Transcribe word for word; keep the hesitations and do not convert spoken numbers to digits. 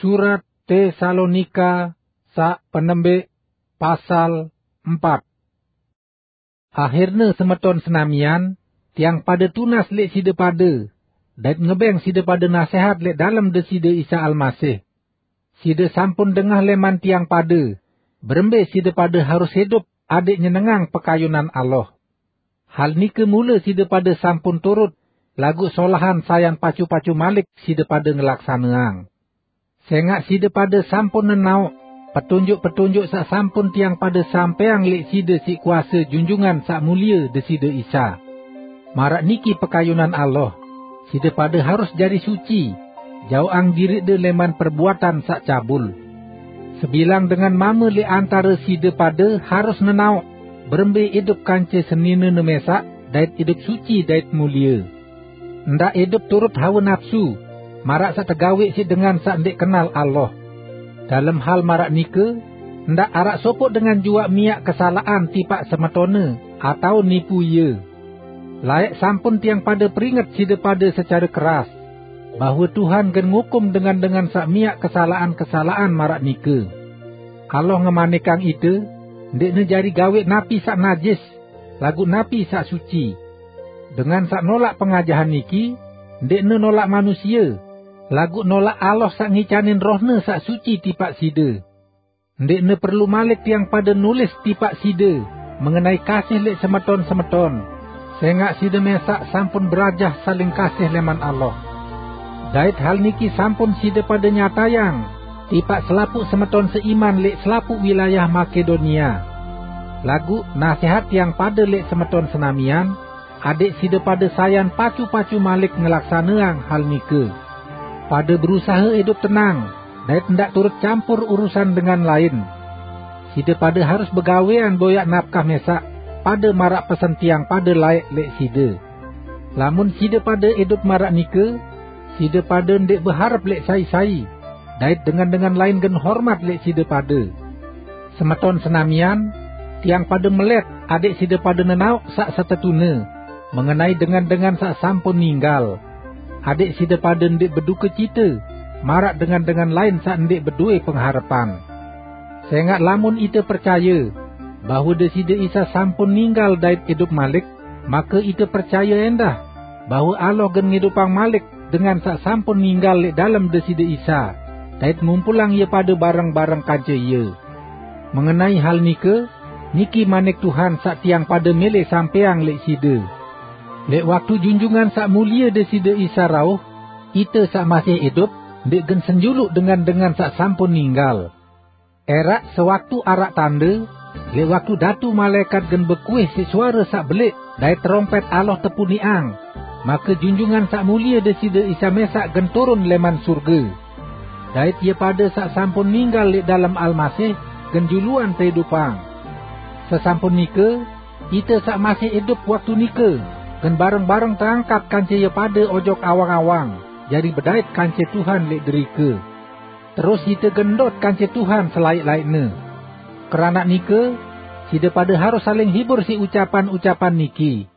Surat Tesalonika sa' penembik, pasal empat. Akhirne semeton senamian, tiang pade tunas leq side pade, dait ngebeng side pade nasehat leq dalem Deside Isa Almasih. Side sampun dengah leman tiang pade, berembe side pade harus idup adeq nyenengang pekayunan Allah. Hal nike mule side pade sampun turut, laguq solahan sayan pacu-pacu malik side pade ngelaksaneang. Sengaq side pade sampun nenaoq petunjuk-petunjuk saq sampun tiang pade sampeang leq side siq kuase Junjungan Saq Mulie Deside Isa. Maraq niki pekayunan Allah, side pade harus jari suci, jaoqang diriqde leman perbuatan saq cabul. Sebilang dengan mame leq antare side pade harus nenaoq berembe idup kance seninene mesaq dait idup suci dait mulie. Ndaq idup turut hawe napsu, maraq saq tegaweq siq dengan saq ndeq kenal Allah. Dalem hal maraq nike, ndaq araq sopoq dengan juaq miaq kesalaqan tipaq semetonne atao nipu ie. Laeq sampun tiang pade peringet side pade secare keras, bahwe Tuhan gen ngukum dengan-dengan saq miaq kesalaqan-kesalaqan maraq nike. Allah ngemanikang ite, ndeqne jari gaweq napi saq najis, laguq napi saq suci. Dengan saq nolaq pengajahan niki, ndeqne nolaq manusie, laguq nolaq Allah saq ngicanin Roh-Ne saq suci tipaq side. Ndeqne perlu malik tiang pade nulis tipaq side mengenai kasih leq semeton-semeton, sengaq side mesaq sampun berajah saling kasih leman Allah. Dait hal niki sampun side pade nyatayang tipaq selapuq semeton seiman leq selapuq wilayah Makedonia. Laguq nasehat tiang pade leq semeton senamian, adeq side pade sayan pacu-pacu malik ngelaksaneang hal nike. Pade berusahe idup tenang, dait ndaq turut campur urusan dengan lain. Side pade harus begawean boyaq napkah mesaq pade maraq pesen tiang pade laeq leq side. Lamun side pade idup maraq nike, side pade ndeq beharep leq sai-sai, dait dengan-dengan lain gen hormat leq side pade. Semeton senamian, tiang pade melet adeq side pade nenaoq saq setetune mengenai dengan-dengan saq sampun ninggal, adeq side pade ndeq bedukecite maraq dengan-dengan lain saq ndeq bedowe pengharepan. Sengaq lamun ite percaye bahwe Deside Isa sampun ninggal dait idup malik, make ite percaye endah bahwe Allah gen ngidupang malik dengan saq sampun ninggal leq dalem Deside Isa, dait ngumpulang ie pade bareng-bareng kance Ie. Mengenai hal nike, niki manik Tuhan saq tiang pade mele sampeang leq side. Leq waktu Junjungan Saq Mulie Deside Isa rauh, ite saq masih idup ndeq gen senjuluq dengan-dengan saq sampun ninggal. Eraq sewaktu araq tande, leq waktu datu malaekat gen bekuih siq suare saq belieq dait terompet Allah tepuniqang, make Junjungan Saq Mulie Deside Isa mesaq gen turun leman surge. Dait ie pade saq sampun ninggal leq dalem Almasih gen juluan teidupang. Sesampun nike, ite saq masih idup waktu nike gen bareng-bareng teangkat kance ie pade ojok awang-awang, jari bedait kance Tuhan leq derike. Terus ite gen ndot kance Tuhan selaeq-laeqne. Keranaq nike, side pade harus saling hibur siq ucapan-ucapan niki,